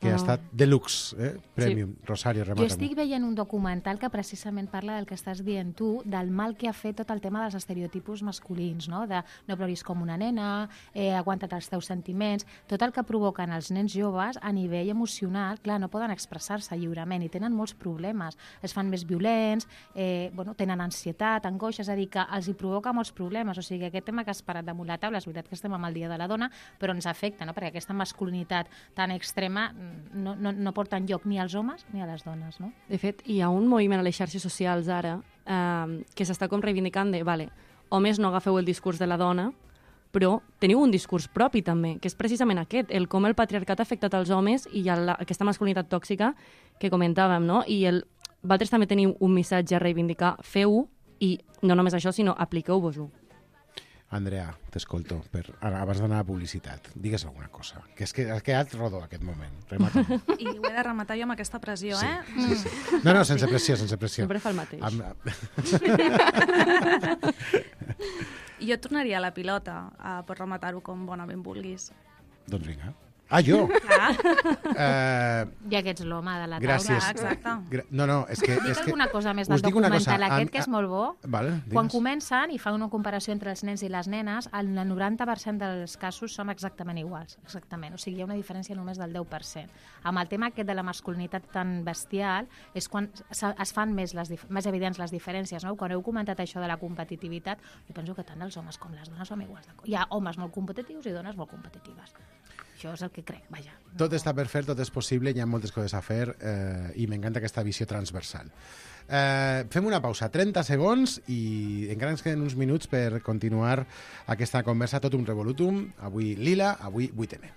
que oh. ha estat deluxe, eh? Premium. Sí. Rosario, remata-m'ho. Jo estic veient un documental que precisament parla del que estàs dient tu, del mal que ha fet tot el tema dels estereotipus masculins, no? De no ploris com una nena, eh, aguanta't els teus sentiments, tot el que provoquen els nens joves a nivell emocional, clar, no poden expressar-se lliurement i tenen molts problemes, es fan més violents, eh, bueno, tenen ansietat, angoixa, és a dir, que els hi provoca molts problemes, o sigui, aquest tema que has parat damunt la taula, és veritat que estem amb el Dia de la Dona, però ens afecta, no? Perquè aquesta masculinitat tan extrema no, no, no porta enlloc ni als homes ni a les dones. No? De fet, hi ha un moviment a les xarxes socials ara eh, que s'està com reivindicant de, vale, homes no agafeu el discurs de la dona, però teniu un discurs propi també, que és precisament aquest, el com el patriarcat ha afectat els homes i la, aquesta masculinitat tòxica que comentàvem, no? I el, vosaltres també teniu un missatge a reivindicar, feu-ho, i no només això, sinó apliqueu-vos-ho. Andrea, t'escolto, per, abans d'anar a publicitat. Digues alguna cosa, que és que ha quedat rodó aquest moment. Remata. I ho he de rematar jo amb aquesta pressió, sí, eh? Sí, sí. No, no, sense pressió, sense pressió. Sempre fa el mateix. Amb... Jo tornaria a la pilota, uh, per rematar-ho com bonament vulguis. Doncs vinga. Ah, jo? Clar. Uh, ja que ets l'home de la taula. Gràcies. Exacte. Gra no, no, és que... Dic és que... alguna cosa més del documental aquest, que és molt bo. Vale, quan comencen i fan una comparació entre els nens i les nenes, el noranta per cent dels casos són exactament iguals. Exactament. O sigui, hi ha una diferència només del deu per cent. Amb el tema aquest de la masculinitat tan bestial és quan es fan més, les, més evidents les diferències. No? Quan heu comentat això de la competitivitat, jo penso que tant els homes com les dones som iguals. Hi ha homes molt competitius i dones molt competitives. Això és el que crec, vaja. Tot està per fer, tot és possible, hi ha moltes coses a fer eh, i m'encanta aquesta visió transversal. Eh, fem una pausa, trenta segons, i encara ens queden uns minuts per continuar aquesta conversa tot un revolutum. Avui Lila, avui vuit eme.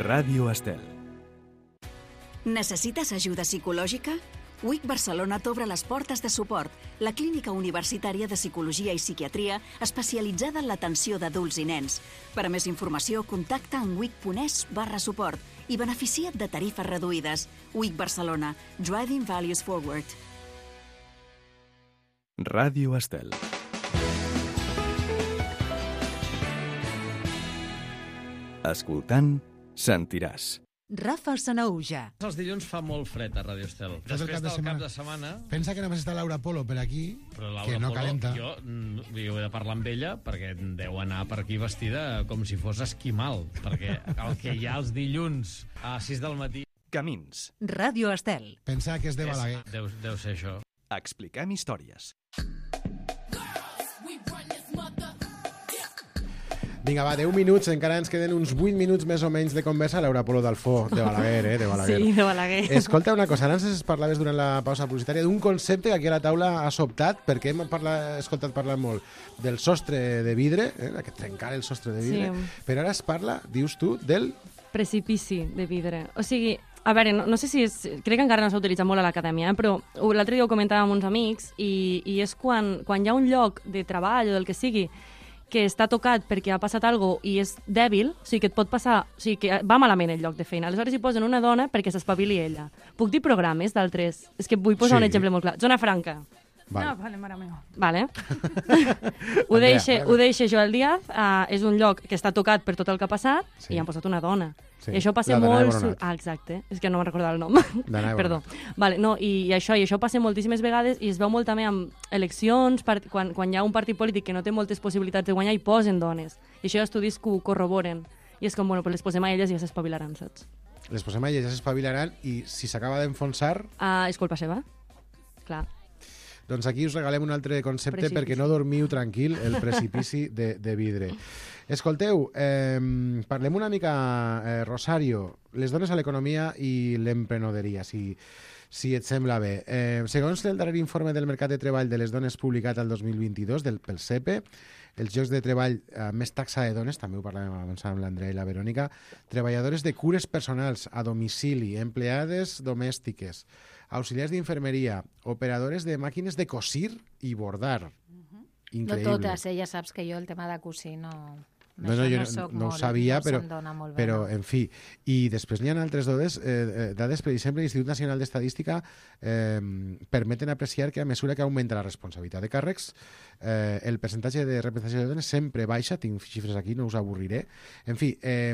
Ràdio Estel. Necessites ajuda psicològica? U I C Barcelona t'obre les portes de suport, la clínica universitària de psicologia i psiquiatria especialitzada en l'atenció d'adults i nens. Per a més informació, contacta en wic.es barra suport i beneficia't de tarifes reduïdes. U I C Barcelona, Driving Values Forward. Ràdio Estel. Escoltant, sentiràs. Rafa Sanaúja. Els dilluns fa molt fred a Ràdio Estel. Després cap de del setmana. cap de setmana... Pensa que només està Laura Polo per aquí, però Laura que no Polo, calenta. Jo, jo he de parlar amb ella perquè deu anar per aquí vestida com si fos esquimal, perquè el que hi ha els dilluns a sis del matí... Camins. Ràdio Estel. Pensa que és de Balaguer. Deu, deu ser això. Expliquem històries. Vinga, va, deu minuts, encara ens queden uns vuit minuts més o menys de conversa. Laura Polo d'Alfó, de Balaguer, eh, de Balaguer. Sí, de Balaguer. Escolta una cosa, ara ens parlaves durant la pausa publicitària d'un concepte que aquí a la taula ha sobtat, perquè hem parlat, escoltat parlar molt del sostre de vidre, eh, aquest trencar el sostre de vidre, sí. Però ara es parla, dius tu, del... Precipici de vidre. O sigui, a veure, no, no sé si és... Crec que encara no s'ha utilitzat molt a l'acadèmia, eh, però l'altre dia ho comentàvem amb uns amics i, i és quan, quan hi ha un lloc de treball o del que sigui que està tocat perquè ha passat alguna cosa i és dèbil, o sigui que et pot passar, o sigui que va malament el lloc de feina. Aleshores hi posen una dona perquè s'espavili ella. Puc dir programes d'altres? És que vull posar sí. un exemple molt clar. Zona Franca. Vale. No, vale, mare meva. Vale. ho, deixe, ho deixe Joel Díaz, uh, és un lloc que està tocat per tot el que ha passat sí. i han posat una dona. Sí. I això passa molt... Ah, exacte. És que no me'n recordava el nom. Perdó. Vale, no, i, i, això, i això passa moltíssimes vegades i es veu molt també amb eleccions, part... quan, quan hi ha un partit polític que no té moltes possibilitats de guanyar i posen dones. I això hi ha estudis que ho corroboren. I és com, bueno, pues les posem a elles i ja s'espavilaran, saps? Les posem a elles, ja s'espavilaran i si s'acaba d'enfonsar... Ah, és culpa seva. Clar. Doncs aquí us regalem un altre concepte precipici. Perquè no dormiu tranquil, el precipici de, de vidre. Escolteu, eh, parlem una mica, eh, Rosario, les dones a l'economia i l'emprenedoria, si, si et sembla bé. Eh, segons el darrer informe del mercat de treball de les dones publicat el dos mil vint-i-dos del, pel C E P E, els llocs de treball eh, més taxa de dones, també ho parlàvem abans amb l'Andrea i la Verònica, treballadores de cures personals a domicili, empleades domèstiques, auxiliars d'infermeria, operadores de màquines de cosir i bordar. Uh-huh. Increïble. No totes, eh? Ja saps que jo el tema de cosir no... No, no, jo no, no ho sabia, però, però en fi. I després n'hi ha altres dades, eh, dades, per exemple, l'Institut Nacional d'Estadística eh, permeten apreciar que a mesura que augmenta la responsabilitat de càrrecs, eh, el percentatge de representació de dones sempre baixa, tinc xifres aquí, no us avorriré. En fi, eh,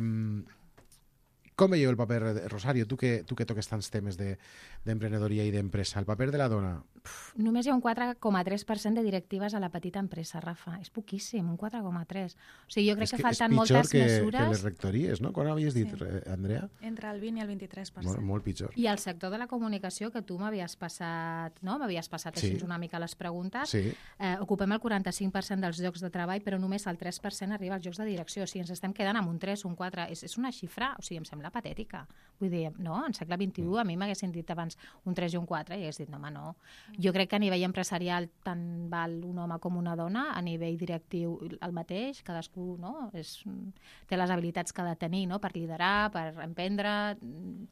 com veieu el paper, Rosario, tu que, tu que toques tants temes d'emprenedoria de, i d'empresa, el paper de la dona? Uf, només hi ha un quatre coma tres per cent de directives a la petita empresa, Rafa. És poquíssim, un quatre coma tres. O sigui, jo crec que, que falten moltes que, mesures... És pitjor que les rectories, no? Quan havies dit, sí. Andrea? Entre el vint i el vint-i-tres per cent. Molt, molt pitjor. I el sector de la comunicació, que tu m'havies passat, no? M'havies passat així sí. una mica les preguntes. Sí. Eh, ocupem el quaranta-cinc per cent dels llocs de treball, però només el tres per cent arriba als llocs de direcció. O sigui, ens estem quedant amb un tres, un quatre. És, és una xifra, o sigui, em sembla patètica. Vull dir, no, en segle vint-i-u a mi m'haguessin dit abans un tres i un quatre i hagués dit, no, home, no. Jo crec que a nivell empresarial tant val un home com una dona, a nivell directiu el mateix, cadascú no, és, té les habilitats que ha de tenir no? Per liderar, per emprendre,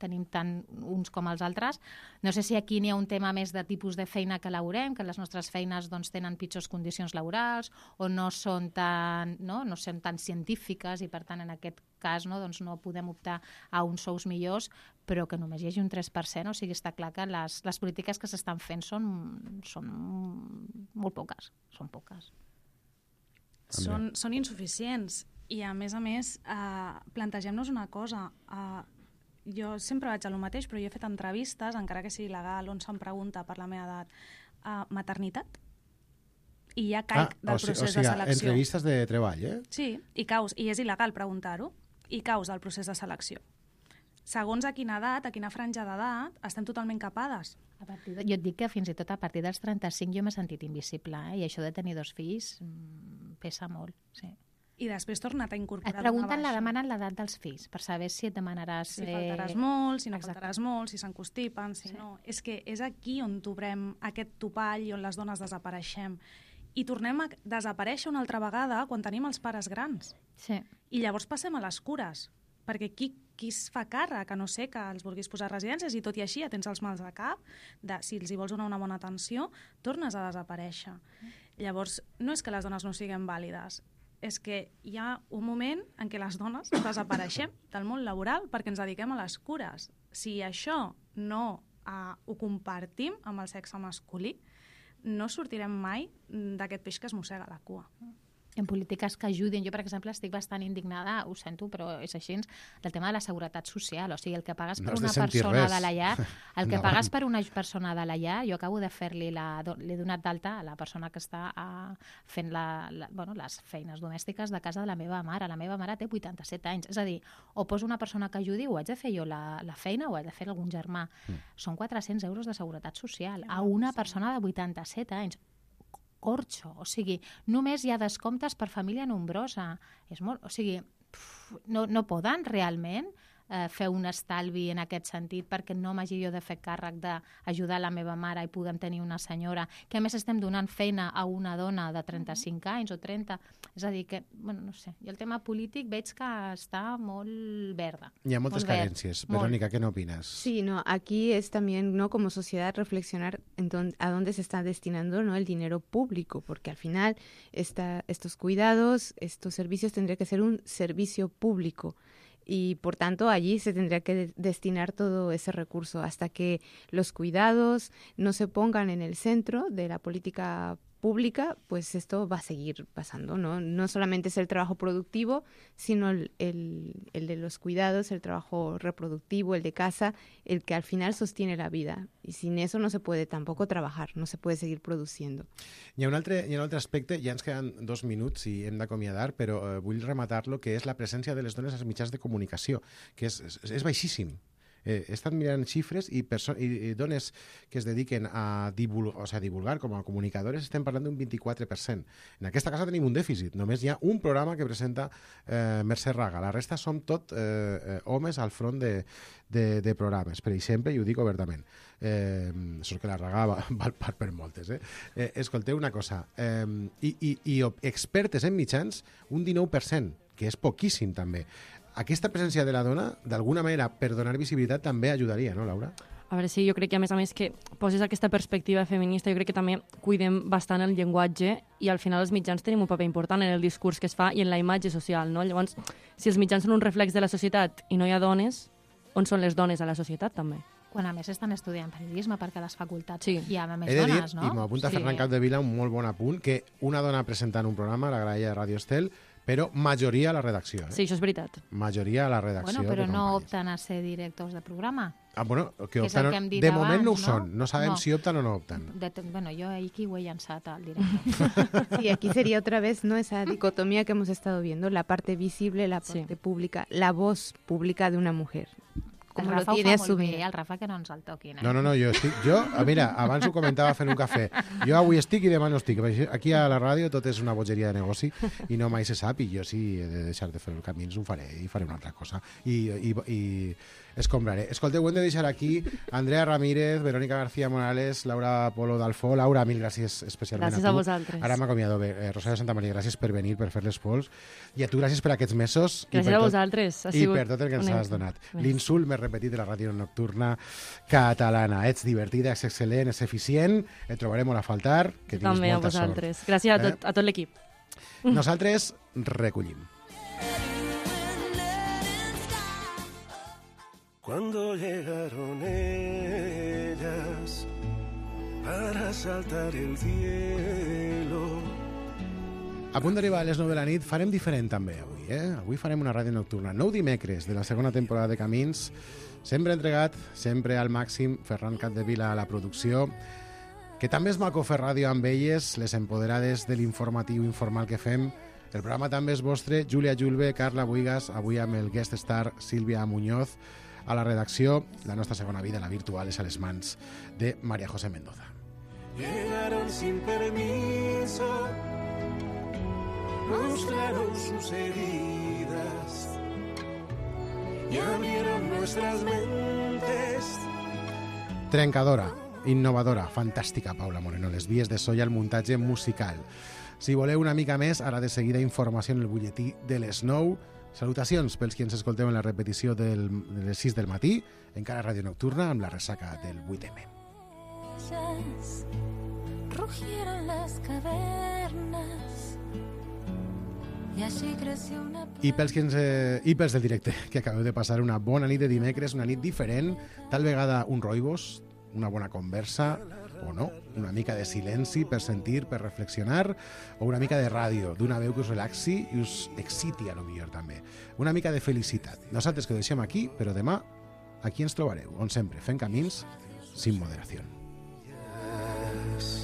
tenim tant uns com els altres. No sé si aquí n'hi ha un tema més de tipus de feina que laborem, que les nostres feines doncs, tenen pitjors condicions laborals o no són tan, no? No són tan científiques i per tant en aquest cas no, doncs no podem optar a uns sous millors, però que només hi hagi un tres per cent, o sigui, està clar que les, les polítiques que s'estan fent són, són molt poques, són poques. Són, són insuficients i a més a més eh, plantegem-nos una cosa, eh, jo sempre vaig a lo mateix, però jo he fet entrevistes, encara que sigui legal, on se'm pregunta per la meva edat, eh, maternitat, i ja caic ah, del procés o sigui, de selecció. Entrevistes de treball, eh? Sí, i, caus, i és il·legal preguntar-ho, i caus del procés de selecció. Segons a quina edat, a quina franja d'edat, estem totalment capades. A partir de, jo et dic que fins i tot a partir dels trenta-cinc jo m'he sentit invisible, eh? I això de tenir dos fills pesa molt, sí. I després torna't a incorporar. Et pregunten, la demanen l'edat dels fills, per saber si et demanaràs... Si faltaràs molt, si no Exacte. faltaràs molt, si s'encostipen, si sí. no... És que és aquí on trobem aquest topall i on les dones desapareixem. I tornem a desaparèixer una altra vegada quan tenim els pares grans. Sí. I llavors passem a les cures, perquè qui, qui es fa càrrec, a no ser que els vulguis posar a residències i tot i així ja tens els mals de cap, de, si els hi vols donar una bona atenció, tornes a desaparèixer. Mm. Llavors, no és que les dones no siguin vàlides, és que hi ha un moment en què les dones desapareixem del món laboral perquè ens dediquem a les cures. Si això no uh, ho compartim amb el sexe masculí, no sortirem mai d'aquest peix que es mossega la cua. En polítiques que ajudin. Jo, per exemple, estic bastant indignada, ho sento, però és així, del tema de la seguretat social. O sigui, el que pagues per no una persona res. de la llar, el que pagues per una persona de la llar, jo acabo de fer-li, l'he donat d'alta a la persona que està a, fent la, la, bueno, les feines domèstiques de casa de la meva mare. La meva mare té vuitanta-set anys. És a dir, o poso una persona que ajudi, o haig de fer jo la, la feina, o haig de fer algun germà. Mm. Són quatre-cents euros de seguretat social a una persona de vuitanta-set anys. Corxo, o sigui, només hi ha descomptes per família nombrosa. És molt, o sigui, pf, no, no poden realment eh, fer un estalvi en aquest sentit perquè no m'hagi jo de fer càrrec d'ajudar la meva mare i puguem tenir una senyora, que a més estem donant feina a una dona de trenta-cinc anys o trenta. És a dir, que, bueno, no sé, i el tema polític veig que està molt verda. Hi ha moltes carencias. Verónica, ¿qué no opinas? Sí, no, aquí es también, ¿no?, como sociedad reflexionar en don, a dónde se está destinando, ¿no?, el dinero público, porque al final esta, estos cuidados, estos servicios tendría que ser un servicio público. Y por tanto allí se tendría que de- destinar todo ese recurso hasta que los cuidados no se pongan en el centro de la política pública, pues esto va a seguir pasando, ¿no? No solamente es el trabajo productivo, sino el, el, el de los cuidados, el trabajo reproductivo, el de casa, el que al final sostiene la vida. Y sin eso no se puede tampoco trabajar, no se puede seguir produciendo. Hi ha un altre, hi ha un altre aspecte, ja ens queden dos minuts i hem d'acomiadar, però eh, vull rematar-lo, que és la presència de les dones als mitjans de comunicació, que és, és, és baixíssim. Eh, he estat mirant xifres i, i, i dones que es dediquen a, divul o sigui, a divulgar com a comunicadores estem parlant d'un vint-i-quatre per cent. En aquesta casa tenim un dèficit. Només hi ha un programa que presenta eh, Mercè Raga. La resta som tot eh, homes al front de, de, de programes. Per exemple, i ho dic obertament, eh, sort que la Raga va, val per, per moltes. Eh? Eh, escolteu una cosa. Eh, i, i, I expertes en mitjans, un dinou per cent, que és poquíssim també. Aquesta presència de la dona, d'alguna manera, per donar visibilitat, també ajudaria, no, Laura? A veure, sí, jo crec que a més a més que poses aquesta perspectiva feminista, jo crec que també cuidem bastant el llenguatge i al final els mitjans tenim un paper important en el discurs que es fa i en la imatge social, no? Llavors, si els mitjans són un reflex de la societat i no hi ha dones, on són les dones a la societat també? Quan a més estan estudiant periodisme perquè a les facultats sí. hi ha més He de dir, dones, no? i m'apunta sí. Ferran Capdevila, un molt bon apunt, que una dona presentant un programa, la graella de Radio Estel, però majoria a la redacció. Eh? Sí, això és veritat. Majoria a la redacció. Bueno, però no opten a ser directors de programa. Ah, bueno, que que opten, que de moment abans, no ho no? són. No sabem no. si opten o no opten. De, bueno, yo aquí ho he llançat al director. Sí, aquí sería otra vez no esa dicotomía que hemos estado viendo, la parte visible, la parte sí. pública, la voz pública de una mujer. Com lo tiene asumido. El Rafa que no ens el toquin. Eh? No, no, no, jo estic... Jo, mira, abans ho comentava fent un cafè. Jo avui estic i demà no estic. Aquí a la ràdio tot és una bogeria de negoci i no mai se sap, i jo si he de deixar de fer el camins ho faré i faré una altra cosa. I, i, i escombraré. Escolteu, ho hem de deixar aquí. Andrea Ramírez, Verónica García Morales, Laura Polo d'Alfó. Laura, mil gràcies especialment gràcies a tu. Gràcies a vosaltres. Ara m'acomiado. Eh, Rosario Santamaria, gràcies per venir, per fer les pols. I a tu gràcies per aquests mesos. Gràcies a tot, vosaltres. Ha I per tot el que ens has donat. L'insult més repetit de la ràdio nocturna catalana. Ets divertida, ets excel·lent, ets eficient. Et trobarem molt a faltar. Que tinguis també molta a vosaltres. Sort. Gràcies a tot, eh? a tot l'equip. Nosaltres recollim. Cuando llegaron ellas para saltar el cielo. A punt d'arribar a les nou de la nit farem diferent també avui, eh? Avui farem una ràdio nocturna. Nou dimecres de la segona temporada de Camins. Sempre entregat, sempre al màxim, Ferran Capdevila a la producció. Que també és maco fer ràdio amb elles, les empoderades de l'informatiu informal que fem. El programa també és vostre, Júlia Julve, Carla Buigas, avui amb el guest star Sílvia Muñoz. A la redacció, la nostra segona vida, la virtual, és a les mans de María José Mendoza. Llegaron sin permiso, mostraron sus heridas y abrieron nuestras mentes. Trencadora, innovadora, fantàstica, Paula Moreno. Les vies de so i el muntatge musical. Si voleu una mica més, ara de seguida informació en el butlletí de les nou. Salutacions pels qui ens escolteu en la repetició del, de les sis del matí, encara Ràdio Nocturna, amb la ressaca del vuit eme. Rugieron las cavernas y así creció una... I pels, qui ens, eh, I pels del directe, que acabeu de passar una bona nit de dimecres, una nit diferent, tal vegada un roibos, una bona conversa, o no, una mica de silenci per sentir, per reflexionar, o una mica de ràdio, d'una veu que us relaxi i us exciti, a lo millor també. Una mica de felicitat. Nosaltres que ho deixem aquí, però demà aquí ens trobareu, on sempre fem camins sin moderació. Yes.